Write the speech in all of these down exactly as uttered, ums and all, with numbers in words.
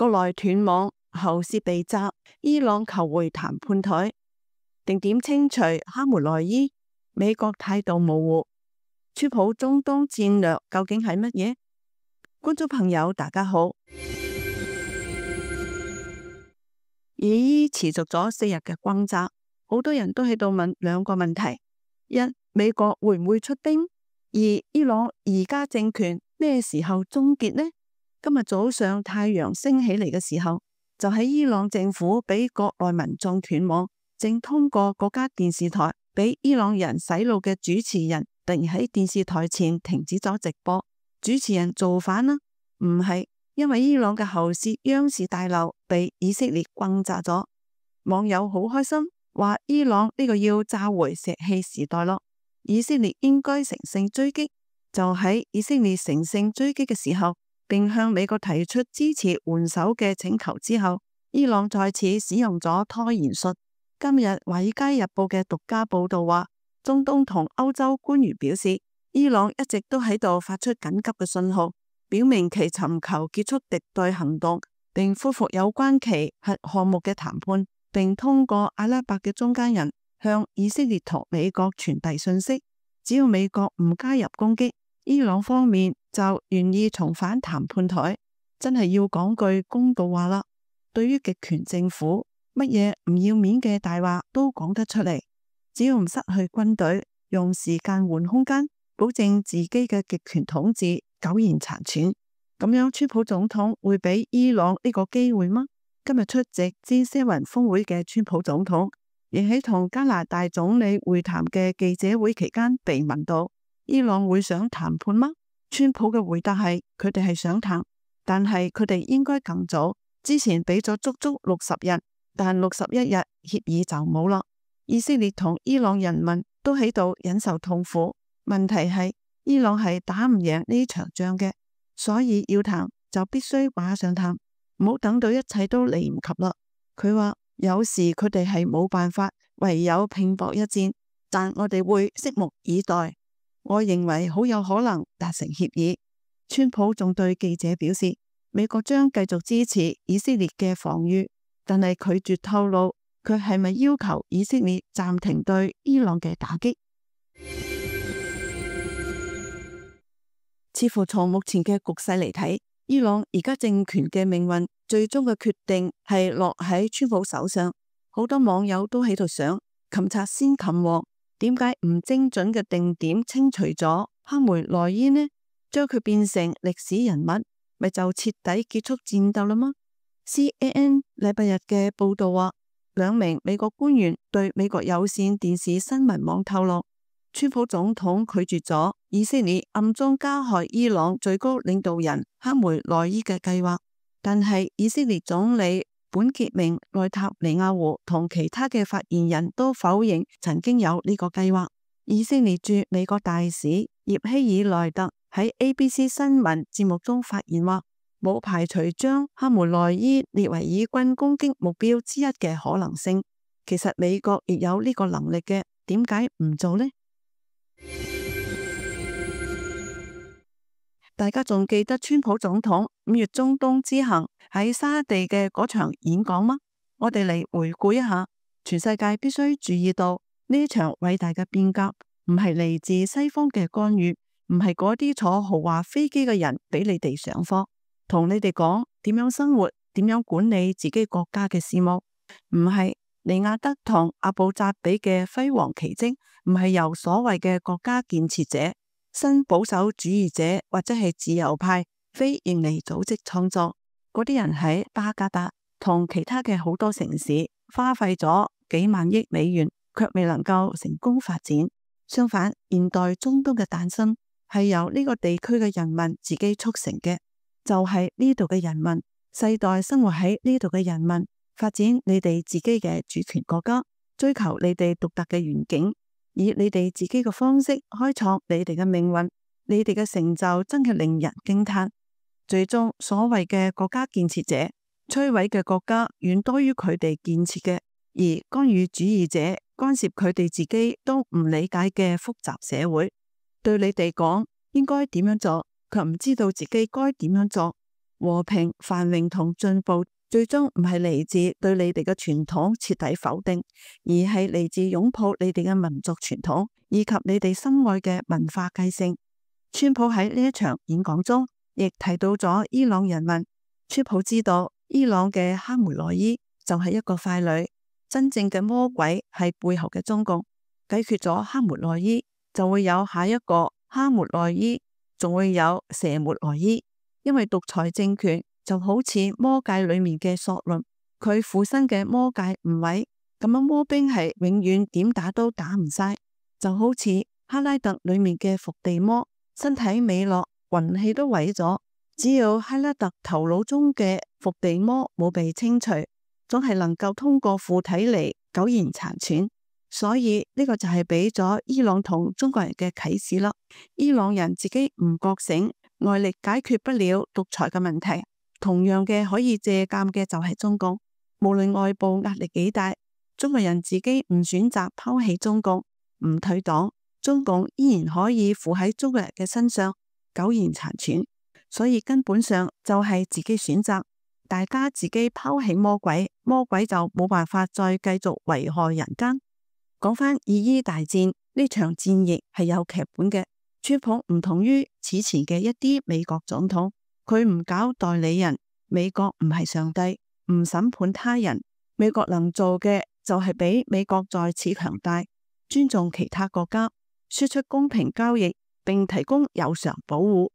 國內斷網，喉舌被責，伊朗求回談判台，定點清除哈梅內伊，美國態度模糊，川普中東戰略究竟係乜嘢？觀眾朋友大家好。以伊持續咗四日嘅轟炸，好多人都喺度問兩個問題：一、美國會唔會出兵？二、伊朗而家政權咩時候終結呢？今日早上太陽升起嚟嘅時候，就喺伊朗政府俾國內民眾斷網，正通過國家電視台俾伊朗人洗腦嘅主持人，突然喺電視台前停止咗直播。主持人造反啦？唔係。因為伊朗嘅喉舌央視大樓被以色列轟炸咗，網友好開心，話伊朗呢個要炸回石器時代咯，以色列應該乘勝追擊。就喺以色列乘勝追擊嘅時候，並向美國提出支持援手嘅請求之後，伊朗再次使用咗拖延術。今日《華爾街日報》嘅獨家報道話，中東同歐洲官員表示，伊朗一直都喺度發出緊急嘅信號，表明其尋求結束敵對行動，並恢復有關其核項目嘅談判，並通過阿拉伯嘅中間人向以色列同美國傳遞信息。只要美國唔加入攻擊，伊朗方面就願意重返談判台。真係要講句公道話啦，對於極權政府，乜嘢唔要面嘅大話都講得出嚟。只要唔失去軍隊，用時間換空間，保證自己嘅極權統治苟延殘喘，咁樣川普總統會俾伊朗呢個機會嗎？今日出席 G 七 峰會嘅川普總統，亦喺同加拿大總理會談嘅記者會期間被問到，伊朗會想談判嗎？川普嘅回答係，佢哋係想談，但係佢哋應該更早，之前俾咗足足六十日，但六十一日協議就冇啦。以色列同伊朗人民都喺度忍受痛苦，問題係，伊朗係打唔贏呢場仗嘅，所以要談就必須馬上談，唔好等到一切都嚟唔及啦。佢話有時佢哋係冇辦法，唯有拼搏一戰，但我哋會拭目以待。我認為好有可能達成協議。川普仲對記者表示，美國將繼續支持以色列嘅防禦，但係拒絕透露佢係咪要求以色列暫停對伊朗嘅打擊。似乎從目前嘅局勢嚟睇，伊朗而家政權嘅命運最終嘅決定係落喺川普手上。好多網友都喺度想，擒賊先擒王，點解唔精準嘅定點清除咗哈梅內伊呢？將佢變成歷史人物，咪就徹底結束戰鬥啦嗎？ C N N 禮拜日嘅報道話，兩名美國官員對美國有線電視新聞網透露，川普總統拒絕咗以色列暗中加害伊朗最高領導人哈梅內伊嘅計劃，但係以色列總理本傑明內塔尼亞胡同其他嘅發言人都否認曾經有呢個計劃。以色列駐美國大使葉希爾內特喺 A B C 新聞節目中發言話，冇排除將哈梅內伊列為以軍攻擊目標之一嘅可能性。其實美國亦有呢個能力嘅，點解唔做呢？大家仲記得川普總統五月中東之行喺沙地嘅嗰場演講嗎？我哋嚟回顧一下，全世界必須注意到呢場偉大嘅變革唔係嚟自西方嘅干預，唔係嗰啲坐豪華飛機嘅人俾你哋上課，同你哋講點樣生活，點樣管理自己國家嘅事務，唔係尼亞德同阿布扎比嘅輝煌奇蹟，唔係由所謂嘅國家建設者、新保守主義者或者係自由派非營利組織創作。嗰啲人喺巴格達同其他嘅好多城市花費咗幾萬億美元，卻未能夠成功發展。相反，現代中東嘅誕生係由呢個地區嘅人民自己促成嘅，就係呢度嘅人民，世代生活喺呢度嘅人民，發展你哋自己嘅主權國家，追求你哋獨特嘅願景，以你哋自己嘅方式開創你哋嘅命運。你哋嘅成就真係令人驚嘆。最終所謂嘅國家建設者摧毀嘅國家遠多於佢哋建設嘅，而干預主義者干涉佢哋自己都唔理解嘅複雜社會，對你哋講應該點樣做，卻唔知道自己該點樣做。和平、繁榮同進步，最終唔係嚟自對你哋嘅傳統徹底否定，而係嚟自擁抱你哋嘅民族傳統以及你哋深愛嘅文化繼承。川普喺呢一場演講中，亦提到咗伊朗人民。川普知道伊朗嘅哈梅內伊就係一個傀儡，真正嘅魔鬼係背後嘅中共。解決咗哈梅內伊，就會有下一個哈梅內伊，仲會有蛇梅內伊。因為獨裁政權就好似魔界裏面嘅索倫，佢附身嘅魔界唔毀，咁樣魔兵係永遠點打都打唔晒。就好似哈拉特裏面嘅伏地魔，身體美落，魂氣都毀咗。只要哈拉特頭腦中嘅伏地魔冇被清除，總係能夠通過附體嚟苟延殘喘。所以呢個就係俾咗伊朗同中國人嘅啟示啦。伊朗人自己唔覺醒，外力解決不了獨裁嘅問題，同樣嘅可以借鑒嘅就係中共。無論外部壓力幾大，中國人自己唔選擇拋棄中共，唔退黨，中共依然可以附喺中國人嘅身上苟延殘喘。所以根本上就係自己選擇，大家自己拋棄魔鬼，魔鬼就冇辦法再繼續危害人間。講返以伊大戰，呢場戰役係有劇本嘅。川普唔同於此前嘅一啲美國總統，佢唔搞代理人。美國唔係上帝，唔審判他人。美國能做嘅就係俾美國再次強大，尊重其他國家，輸出公平交易，並提供有償保護。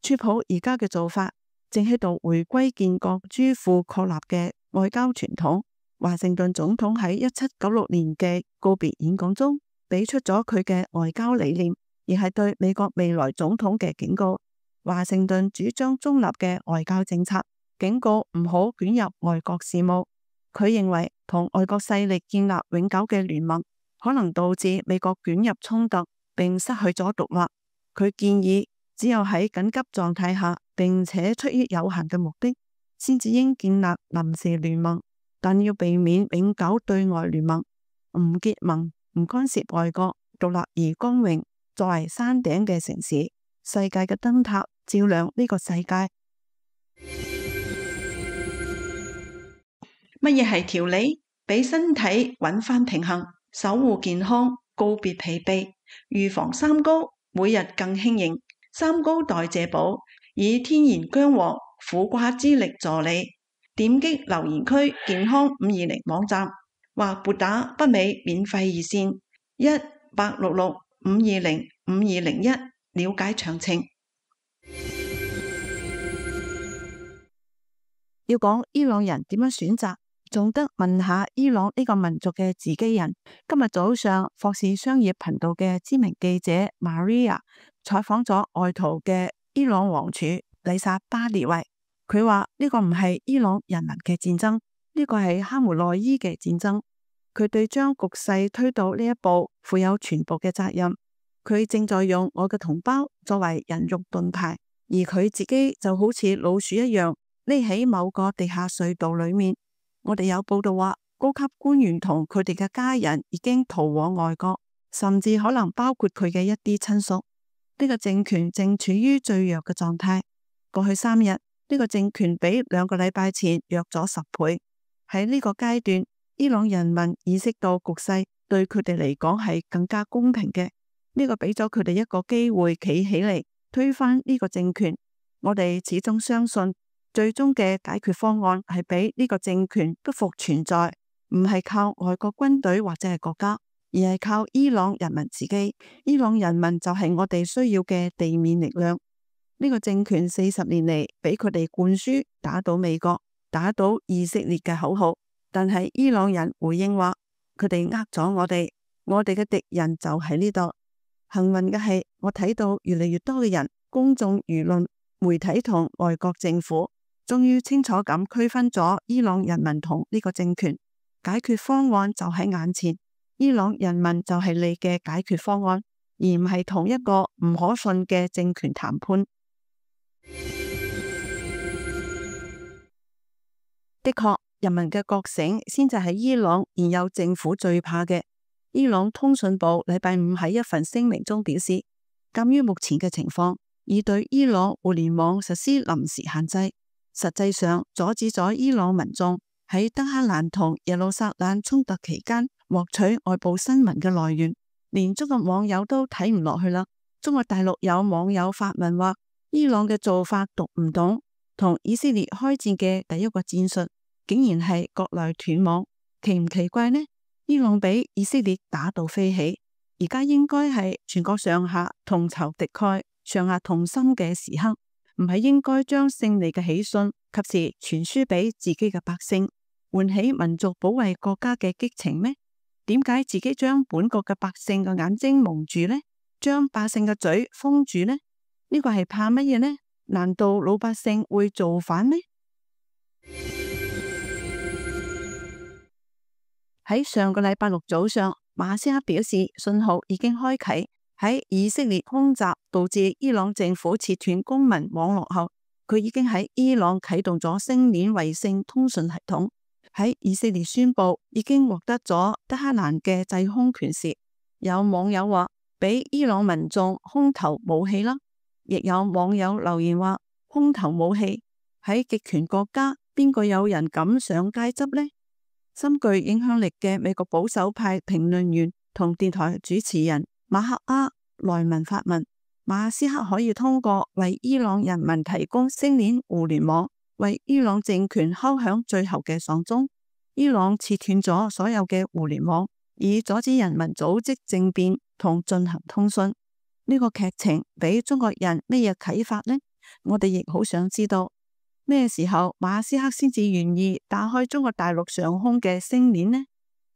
川普而家嘅做法正喺度回歸建國之父確立嘅外交傳統。華盛頓總統喺一七九六年嘅告別演講中，俾出咗佢嘅外交理念，而係對美國未來總統嘅警告。華盛頓主張中立嘅外交政策，警告唔好捲入外國事務。佢認為同外國勢力建立永久嘅聯盟，可能導致美國捲入衝突，並失去咗獨立。佢建議只有喺緊急狀態下，並且出於有限嘅目的，先至應建立臨時聯盟。但要避免永久對外聯盟，唔結盟，唔干涉外國，獨立而光榮，作為山頂嘅城市，世界嘅燈塔，照亮呢個世界。乜嘢係調理？俾身體揾返平衡，守護健康，告別疲憊，預防三高，每日更輕盈。三高代謝寶以天然薑黃、苦瓜之力助你。點擊留言區健康五二零網站，或撥打北美免費熱線一八六六五二零五二零一了解詳情。要講伊朗人點樣選擇，仲得問下伊朗呢個民族嘅自己人。今日早上，霍士商業頻道嘅知名記者 Maria 採訪咗外逃嘅伊朗王儲麗薩巴列維。佢話呢個唔係伊朗人民嘅戰爭，呢個係哈梅內伊嘅戰爭。佢對將局勢推到呢一步負有全部嘅責任。佢正在用我嘅同胞作為人肉盾牌，而佢自己就好似老鼠一樣匿喺某個地下隧道裏面。我哋有報道話，高級官員同佢哋嘅家人已經逃往外國，甚至可能包括佢嘅一啲親屬。呢個政權正處於最弱嘅狀態。過去三日，呢個政權比兩個禮拜前弱咗十倍。喺呢個階段，伊朗人民意識到局勢對佢哋嚟講係更加公平嘅。呢個俾咗佢哋一個機會企起嚟推翻呢個政權。我哋始終相信，最終嘅解決方案係俾呢個政權不復存在，唔係靠外國軍隊或者係國家，而係靠伊朗人民自己。伊朗人民就係我哋需要嘅地面力量。呢個政權四十年嚟俾佢哋灌輸打倒美國、打倒以色列嘅口號，但係伊朗人回應話佢哋呃咗我哋，我哋嘅敵人就喺呢度。幸運嘅係，我睇到越嚟越多嘅人、公眾輿論、媒體同外國政府終於清楚咁區分咗伊朗人民同呢個政權。解決方案就喺眼前，伊朗人民就係你嘅解決方案，而唔係同一個唔可信嘅政權談判。的確，人民嘅覺醒先至係伊朗現有政府最怕嘅。伊朗通訊部禮拜五喺一份聲明中表示，鑒於目前嘅情況，已對伊朗互聯網實施臨時限制，實際上阻止咗伊朗民眾喺德黑蘭同耶路撒冷衝突期間獲取外部新聞嘅來源。連中國網友都睇唔落去啦。中國大陸有網友發文話，伊朗嘅做法讀唔懂，同以色列開戰嘅第一個戰術竟然係國內斷網，奇唔奇怪呢？伊朗俾以色列打到飛起，而家應該係全國上下同仇敵愾、上下同心嘅時刻，唔係應該將勝利嘅喜訊及時傳輸俾自己嘅百姓，喚起民族保衛國家嘅激情咩？點解自己將本國嘅百姓嘅眼睛蒙住呢？將百姓嘅嘴封住呢？呢個係怕乜嘢呢？難道老百姓會造反咩？喺上個禮拜六早上，馬斯克表示信號已經開啟。喺以色列空襲導致伊朗政府切斷公民網絡後，佢已經喺伊朗啟動咗星鏈衛星通訊系統。喺以色列宣布已經獲得咗德黑蘭嘅制空權時，有網友話俾伊朗民眾空投武器啦，亦有網友留言話空投武器喺極權國家邊個有人敢上街執呢？深具影響力嘅美國保守派評論員同電台主持人馬克阿萊文發問，馬斯克可以通過為伊朗人民提供星鏈互聯網，為伊朗政權敲響最後嘅喪鐘。伊朗切斷咗所有嘅互聯網，以阻止人民組織政變同進行通訊。呢個劇情俾中國人咩嘢啟發呢？我哋亦好想知道咩時候馬斯克先至願意打開中國大陸上空嘅星鏈呢？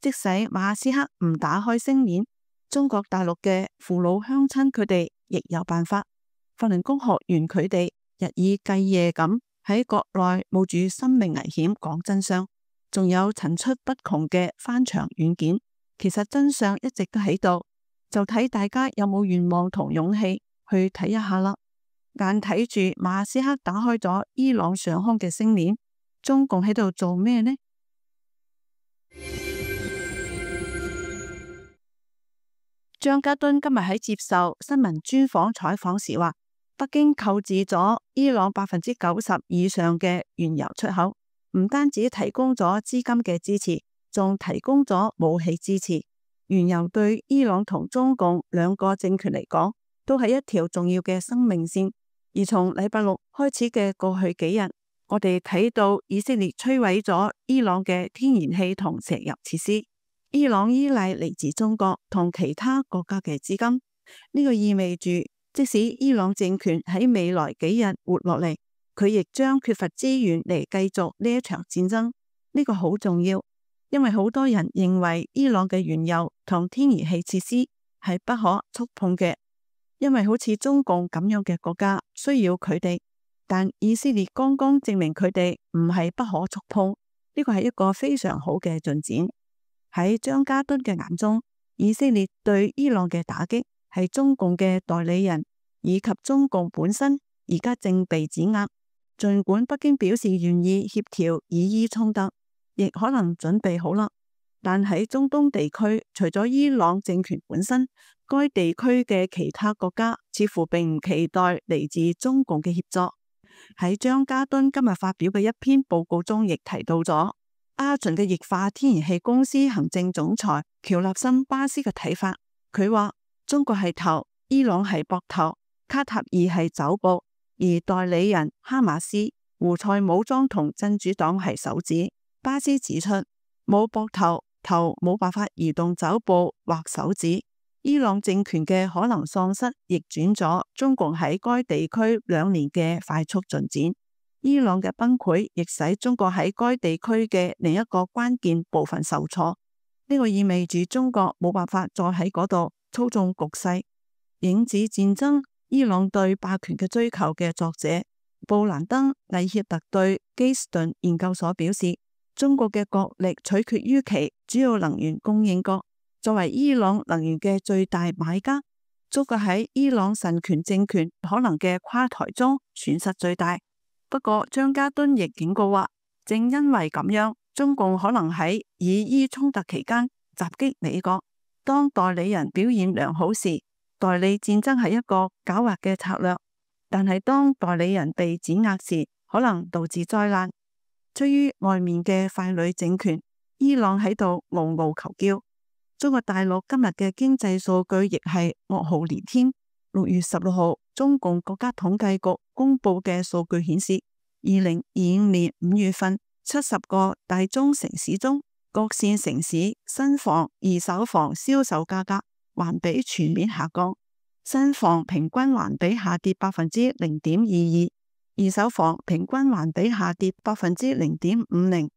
即使馬斯克唔打開星鏈，中國大陸嘅父老鄉親佢哋亦有辦法。法輪功學員佢哋日以繼夜咁喺國內冒住生命危險講真相，仲有層出不窮嘅翻牆軟件。其實真相一直都喺度，就睇大家有冇願望同勇氣去睇一下啦。眼睇住馬斯克打開咗伊朗上空嘅星鏈，中共喺度做咩呢？張家敦今日喺接受新聞專訪採訪時話，北京購置咗伊朗百分之九十以上嘅原油出口，唔單止提供咗資金嘅支持，仲提供咗武器支持。原油對伊朗同中共兩個政權嚟講，都係一條重要嘅生命線。而從禮拜六開始嘅過去幾日，我哋睇到以色列摧毀咗伊朗嘅天然氣同石油設施。伊朗依賴嚟自中國同其他國家嘅資金，呢個意味住即使伊朗政權喺未來幾日活落嚟，佢亦將缺乏資源嚟繼續呢一場戰爭。呢個好重要，因為好多人認為伊朗嘅原油同天然氣設施係不可觸碰嘅，因為好似中共咁樣嘅國家需要佢哋，但以色列剛剛證明佢哋唔係不可觸碰，呢個係一個非常好嘅進展。喺張家敦嘅眼中，以色列對伊朗嘅打擊係中共嘅代理人以及中共本身而家正被指壓。儘管北京表示願意協調以伊衝突，亦可能準備好啦，但喺中東地區，除咗伊朗政權本身，該地區嘅其他國家似乎並唔期待嚟自中共嘅協助。喺張家敦今日發表嘅一篇報告中，亦提到咗阿巡嘅液化天然氣公司行政總裁喬納森巴斯嘅睇法。佢話中國係頭，伊朗係膊頭，卡塔爾係肘部，而代理人哈馬斯、胡塞武裝同真主黨係手指。巴斯指出，冇膊頭，頭冇辦法移動肘部或手指。伊朗政權嘅可能喪失，逆轉咗中共喺該地區兩年嘅快速進展。伊朗嘅崩潰亦使中國喺該地區嘅另一個關鍵部分受挫。呢個意味住中國冇辦法再喺嗰度操縱局勢。影子戰爭：伊朗對霸權嘅追求嘅作者布蘭登·艾歇特對基斯頓研究所表示，中國嘅國力取決於其主要能源供應國。作為伊朗能源嘅最大買家，中國喺伊朗神權政權可能嘅垮台中損失最大。不過張家敦亦警告話，正因為咁樣，中共可能喺以伊衝突期間襲擊美國。當代理人表現良好時，代理戰爭係一個狡猾嘅策略，但係當代理人被碾壓時，可能導致災難。出於外面嘅傀儡政權，伊朗喺度嗷嗷求叫。中國大陸今日嘅經濟數據亦係噩耗連天。六月十六號，中共國家統計局公布嘅數據顯示，二零二五年五月份，七十個大中城市中，各線城市新房、二手房銷售價格環比全面下降，新房平均環比下跌百分之零點二二，二手房平均環比下跌百分之零點五零。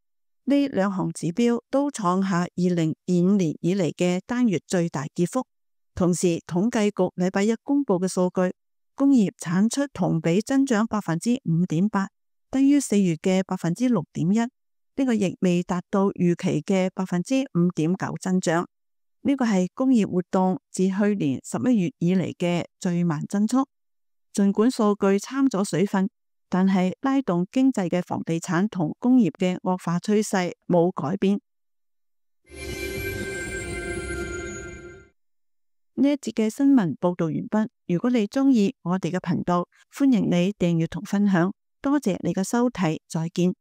呢兩項指標都創下二零二五年以嚟嘅單月最大跌幅。同時，統計局禮拜一公布嘅數據，工業產出同比增長百分之五點八，低於四月嘅百分之六點一。呢個亦未達到預期嘅百分之五點九增長。呢個係工業活動自去年十一月以嚟嘅最慢增速。儘管數據摻咗水分，但係拉動經濟嘅房地產同工業嘅惡化趨勢冇改變。呢一節嘅新聞報道完畢。如果你鍾意我哋嘅頻道，歡迎你訂閱同分享。多謝你嘅收睇，再見。